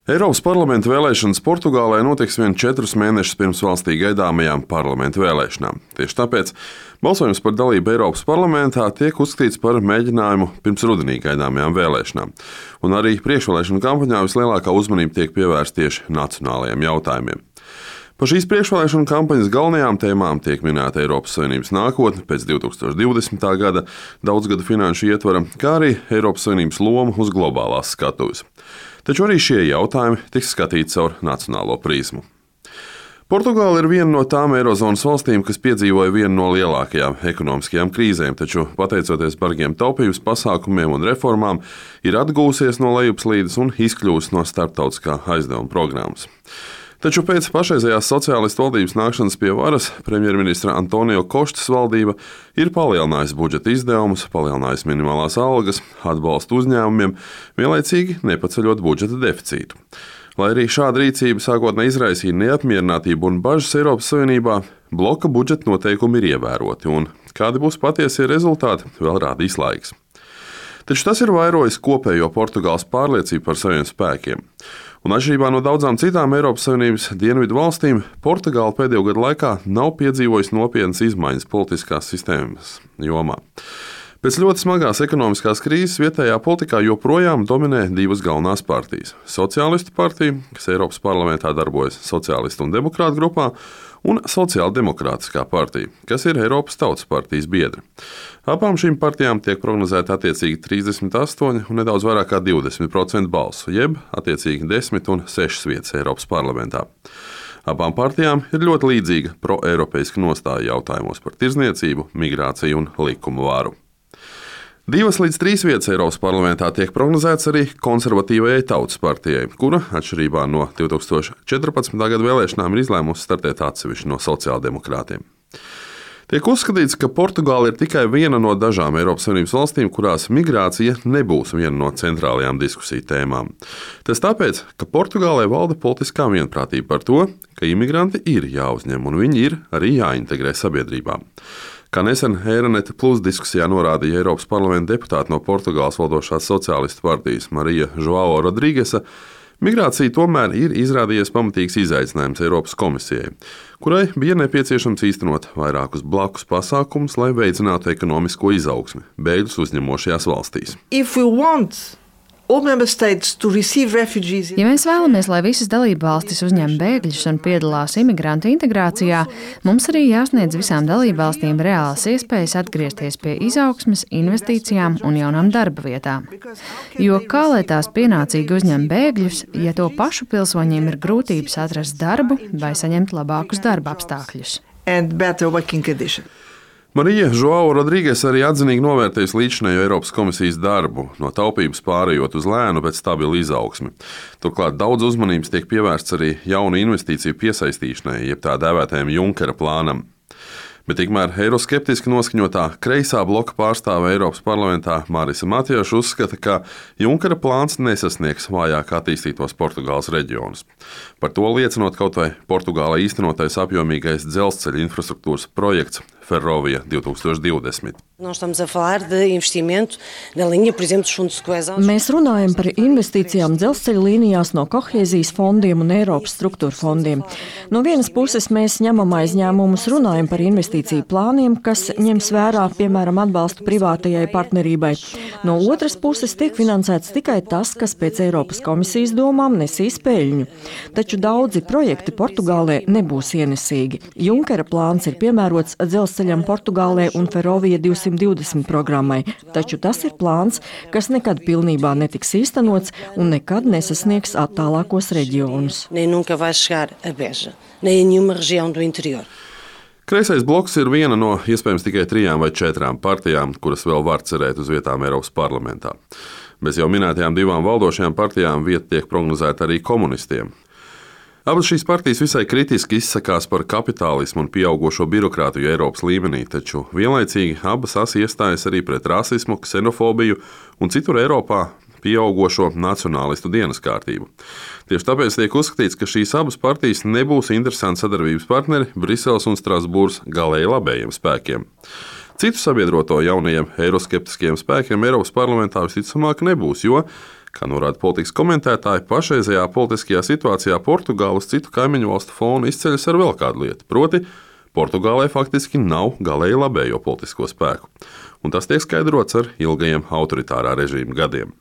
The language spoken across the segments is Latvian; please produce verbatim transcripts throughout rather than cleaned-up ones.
Eiropas parlamenta vēlēšanas Portugālē notiks vien četrus mēnešus pirms valstī gaidāmajām parlamenta vēlēšanām. Tieši tāpēc balsojums par dalību Eiropas parlamentā tiek uzskatīts par mēģinājumu pirms rudenī gaidāmajām vēlēšanām. Un arī priekšvēlēšanu kampaņā vislielākā uzmanība tiek pievērsta tieši nacionālajiem jautājumiem. Par šīs priekšvēlēšanu kampaņas galvenajām tēmām tiek minēta Eiropas Savienības nākotne pēc divi tūkstoši divdesmitā gada daudzgadu finanšu ietvara, kā arī Eiropas Savienības loma uz globālās skatuves. Taču arī šie jautājumi tiks skatīti caur nacionālo prizmu. Portugāla ir viena no tām Eirozonas valstīm, kas piedzīvoja vienu no lielākajām ekonomiskajām krīzēm, taču pateicoties bargiem taupības pasākumiem un reformām, ir atgūsies no lejupslīdes un izkļūst no starptautiskā aizdevuma programmas. Taču pēc pašreizējās sociālistu valdības nākšanas pie varas premjerministra Antonio Kostas valdība ir palielinājusi budžeta izdevumus, palielinājusi minimālās algas, atbalstu uzņēmumiem, vienlaicīgi nepaceļot budžeta deficītu. Lai arī šāda rīcība sākotnēji izraisīja neapmierinātību un bažas Eiropas Savienībā, bloka budžeta noteikumi ir ievēroti, un kādi būs patiesie rezultāti, vēl rādīs laiks. Taču tas ir vairojis kopējo Portugāles pārliecību par saviem spēkiem. Un atšķirībā no daudzām citām Eiropas Savienības dienvidu valstīm, Portugāla pēdējo gadu laikā nav piedzīvojusi nopietnas izmaiņas politiskās sistēmas jomā. Pēc ļoti smagās ekonomiskās krīzes vietējā politikā joprojām dominē divas galvenās partijas – Sociālistu partija, kas Eiropas parlamentā darbojas Sociālistu un Demokrātu grupā, un Sociāldemokrātiskā partija, kas ir Eiropas Tautas partijas biedri. Abām šīm partijām tiek prognozēta attiecīgi trīsdesmit astoņi un nedaudz vairāk kā divdesmit procenti balsu, jeb attiecīgi desmit un sešas vietas Eiropas parlamentā. Abām partijām ir ļoti līdzīga pro-eiropeiska nostāja jautājumos par tirdzniecību, migrāciju un likumu varu. Divas līdz trīs vietas Eiropas parlamentā tiek prognozētas arī konservatīvajai Tautas partijai, kura, atšķirībā no divi tūkstoši četrpadsmitā gada vēlēšanām, ir izlēmusi startēt atsevišķi no sociāldemokrātiem. Tiek uzskatīts, ka Portugāla ir tikai viena no dažām Eiropas Savienības valstīm, kurās migrācija nebūs viena no centrālajām diskusiju tēmām. Tas tāpēc, ka Portugālē valda politiskā vienprātība par to, ka imigranti ir jāuzņem un viņi ir arī jāintegrē sabiedrībā. Kā nesen Eironet Plus diskusijā norādīja Eiropas parlamenta deputāti no Portugāles valdošās sociālistu partijas Marija Joao Rodrīgesa, migrācija tomēr ir izrādījies pamatīgs izaicinājums Eiropas komisijai, kurai bija nepieciešams īstenot vairākus blakus pasākumus, lai veicinātu ekonomisko izaugsmi bēgļus uzņemošajās valstīs. Ja mēs vēlamies, lai visas dalībvalstis uzņem bēgļus un piedalās imigrantu integrācijā, mums arī jāsniedz visām dalībvalstīm reālas iespējas atgriezties pie izaugsmes, investīcijām un jaunām darba vietām. Jo kā lai tās pienācīgi uzņem bēgļus, ja to pašu pilsoņiem ir grūtības atrast darbu vai saņemt labākus darba apstākļus? Marija Joao Rodrīges arī atzinīgi novērtējusi līdzinējo Eiropas komisijas darbu, no taupības pārējot uz lēnu, bet stabilu izaugsmi. Turklāt daudz uzmanības tiek pievērsts arī jaunu investīciju piesaistīšanai, jeb tā dēvētajam Junkera plānam. Bet tikmēr eiroskeptiski noskaņotā kreisā bloka pārstāve Eiropas parlamentā Marisa Matieša uzskata, ka Junkera plāns nesasniegs vājāk attīstītos Portugāles reģionus. Par to liecinot kaut vai Portugālē īstenotais apjomīgais dzelzceļa infrastruktūras projekts Ferrovia divi tūkstoši divdesmit. Mēs runājam par investīcijām dzelzceļa līnijās no kohēzijas fondiem un Eiropas struktūra fondiem. No vienas puses mēs ņemam aizņēmumus, runājam par investīciju plāniem, kas ņems vērā, piemēram, atbalstu privātajai partnerībai. No otras puses tiek finansēts tikai tas, kas pēc Eiropas komisijas domām nesīs peļņu. Taču daudzi projekti Portugālē nebūs ienesīgi. Junkera plāns ir piemērots dzelzceļam Portugālē un Ferrovia divsimt divdesmit programmai, taču tas ir plāns, kas nekad pilnībā netiks īstenots un nekad nesasniegs attālākos reģionus. Kreisais bloks ir viena no iespējams tikai trijām vai četrām partijām, kuras vēl var cerēt uz vietām Eiropas parlamentā. Bez jau minētajām divām valdošajām partijām vieta tiek prognozēta arī komunistiem. Abas šīs partijas visai kritiski izsakās par kapitālismu un pieaugošo birokrātiju Eiropas līmenī, taču vienlaicīgi abas asi iestājas arī pret rasismu, ksenofobiju un citur Eiropā pieaugošo nacionālistu dienas kārtību. Tieši tāpēc tiek uzskatīts, ka šīs abas partijas nebūs interesanti sadarbības partneri Briseles un Strasbūras galēji labējiem spēkiem. Citu sabiedroto jaunajiem eiroskeptiskajiem spēkiem Eiropas parlamentā visticamāk nebūs, jo Kā norāda politikas komentētāji, pašreizējā politiskajā situācijā Portugāla uz citu kaimiņu valstu fonu izceļas ar vēl kādu lietu, proti, Portugālē faktiski nav galēji labējo politisko spēku, un tas tiek skaidrots ar ilgajiem autoritārā režīma gadiem.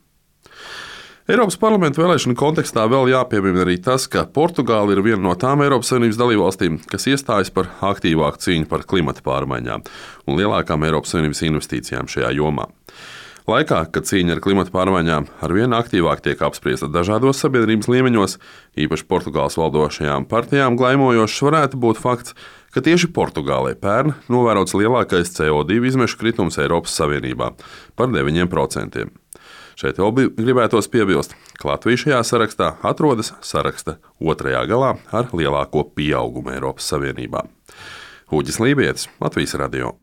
Eiropas parlamenta vēlēšanu kontekstā vēl jāpiemina arī tas, ka Portugāla ir viena no tām Eiropas Savienības dalībvalstīm, kas iestājas par aktīvāku cīņu par klimata pārmaiņām un lielākām Eiropas Savienības investīcijām šajā jomā. Laikā, kad cīņa ar klimata pārmaiņām arvien aktīvāk tiek apspriesta dažādos sabiedrības līmeņos, īpaši Portugāles valdošajām partijām glaimojošs varētu būt fakts, ka tieši Portugālē pērn novērots lielākais C O divi izmešu kritums Eiropas Savienībā par deviņiem procentiem. Šeit vēl gribētos piebilst, ka Latvija šajā sarakstā atrodas saraksta otrajā galā ar lielāko pieaugumu Eiropas Savienībā. Uģis Lībietis, Latvijas radio.